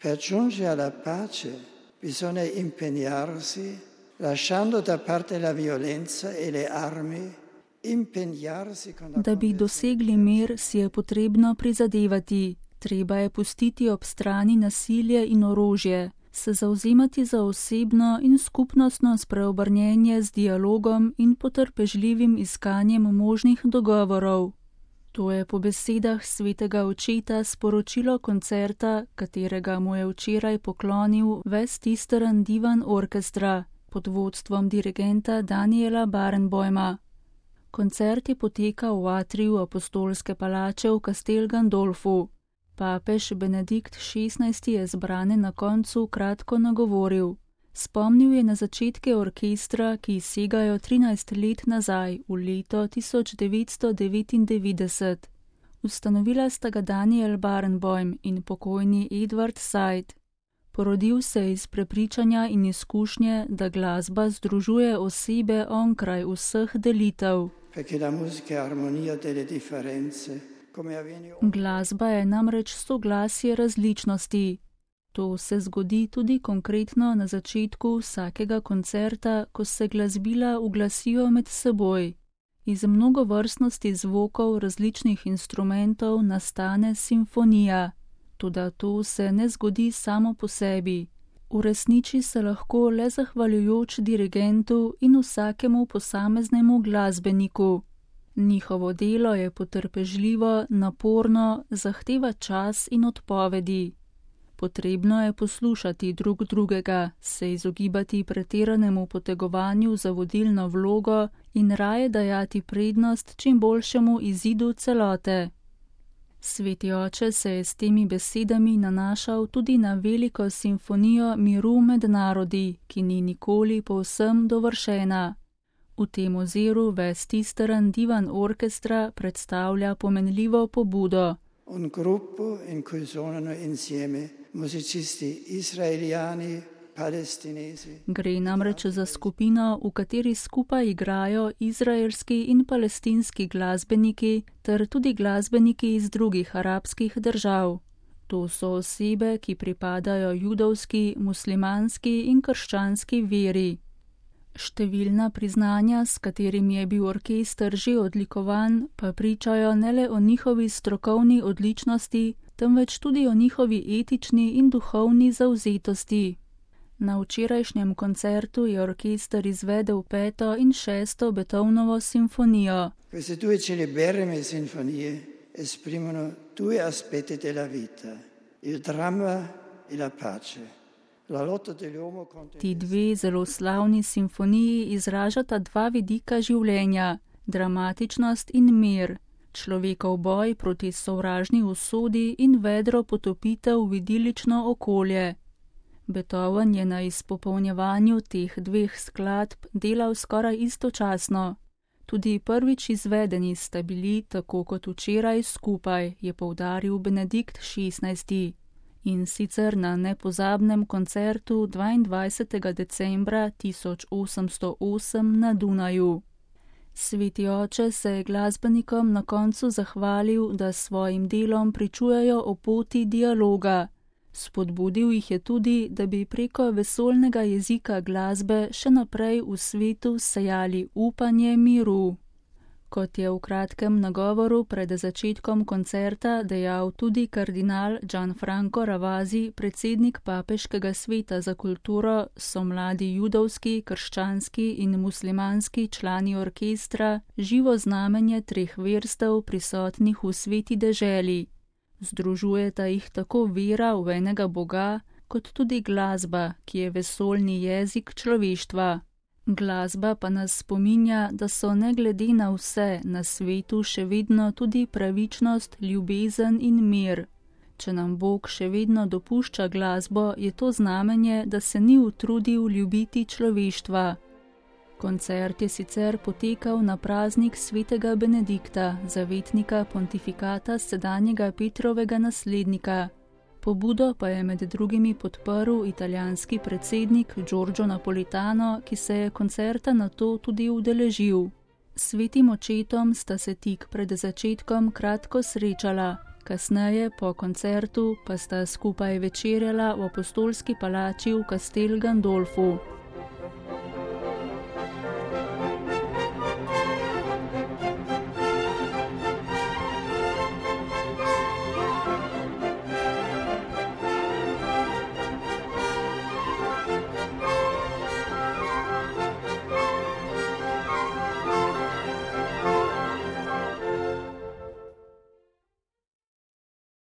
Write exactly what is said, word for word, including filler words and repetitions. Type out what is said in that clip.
Per giungere alla pace bisogna impegnarsi, lasciando da parte la violenza e le armi, impegnarsi con la Da bi dosegli mir, si je potrebno prizadevati. Treba je pustiti ob strani nasilje in orožje, se zauzemati za osebno in skupnostno spreobrnjenje z dialogom in potrpežljivim iskanjem možnih dogovorov. To je po besedah svetega očeta sporočilo koncerta, katerega mu je včeraj poklonil Western Divan Orchestra pod vodstvom dirigenta Daniela Barenboima. Koncert je potekal v atriju apostolske palače v Castel Gandolfu. Papež Benedikt šestnajsti je zbrane na koncu kratko nagovoril. Spomnil je na začetke orkestra, ki segajo trinajst let nazaj, v leto tisoč devetsto devetindevetdeset. Ustanovila sta ga Daniel Barenboim in pokojni Edward Said. Porodil se je iz prepričanja in izkušnje, da glasba združuje osebe onkraj vseh delitev. Glasba je namreč soglasje različnosti. To se zgodi tudi konkretno na začetku vsakega koncerta, ko se glasbila uglasijo med seboj. Iz mnogovrstnosti zvokov različnih instrumentov nastane simfonija. Toda to se ne zgodi samo po sebi. Uresniči se lahko le zahvaljujoč dirigentu in vsakemu posameznemu glasbeniku. Njihovo delo je potrpežljivo, naporno, zahteva čas in odpovedi. Potrebno je poslušati drug drugega, se izogibati pretiranemu potegovanju za vodilno vlogo in raje dajati prednost čim boljšemu izidu celote. Sveti oče se je s temi besedami nanašal tudi na veliko simfonijo miru med narodi, ki ni nikoli povsem dovršena. V tem oziru Western Divan Orchestra predstavlja pomenljivo pobudo. Un gruppo in cui suonano insieme musicisti israeliani, palestinesi. Gre namreč za skupino, v kateri skupaj igrajo izraelski in palestinski glasbeniki ter tudi glasbeniki iz drugih arabskih držav. To so osebe, ki pripadajo judovski, muslimanski in krščanski veri. Številna priznanja, s katerimi je bil orkester že odlikovan, pa pričajo ne le o njihovi strokovni odličnosti, temveč tudi o njihovi etični in duhovni zavzetosti. Na včerajšnjem koncertu je orkester izvedel peto in šesto Beethovnovo simfonijo. Queste due celeberrime sinfonie esprimono due aspetti della vita, il dramma e la pace. Ti dve zelo slavni simfoniji izražata dva vidika življenja, dramatičnost in mir, človekov boj proti sovražni usodi in vedro potopitev v idilično okolje. Beethoven je na izpopolnjevanju teh dveh skladb delal skoraj istočasno. Tudi prvič izvedeni sta bili, tako kot včeraj, skupaj, je poudaril Benedikt šestnajsti. In sicer na nepozabnem koncertu dvaindvajsetega decembra tisoč osemsto osem na Dunaju. Sveti oče se je glasbenikom na koncu zahvalil, da s svojim delom pričujejo o poti dialoga. Spodbudil jih je tudi, da bi preko vesoljnega jezika glasbe še naprej v svetu sejali upanje miru. Kot je v kratkem nagovoru pred začetkom koncerta dejal tudi kardinal Gianfranco Ravasi, predsednik Papeškega sveta za kulturo, so mladi judovski, krščanski in muslimanski člani orkestra živo znamenje treh verstev prisotnih v sveti deželi. Združujeta jih tako vera v enega Boga, kot tudi glasba, ki je vesoljni jezik človeštva. Glasba pa nas spominja, da so ne glede na vse na svetu še vedno tudi pravičnost, ljubezen in mir. Če nam Bog še vedno dopušča glasbo, je to znamenje, da se ni utrudil ljubiti človeštva. Koncert je sicer potekal na praznik svetega Benedikta, zavetnika pontifikata sedanjega Petrovega naslednika. Pobudo pa je med drugimi podprl italijanski predsednik Giorgio Napolitano, ki se je koncerta nato tudi udeležil. S svetim očetom sta se tik pred začetkom kratko srečala, Kasneje, po koncertu, pa sta skupaj večerjala v apostolski palači v Castel Gandolfu.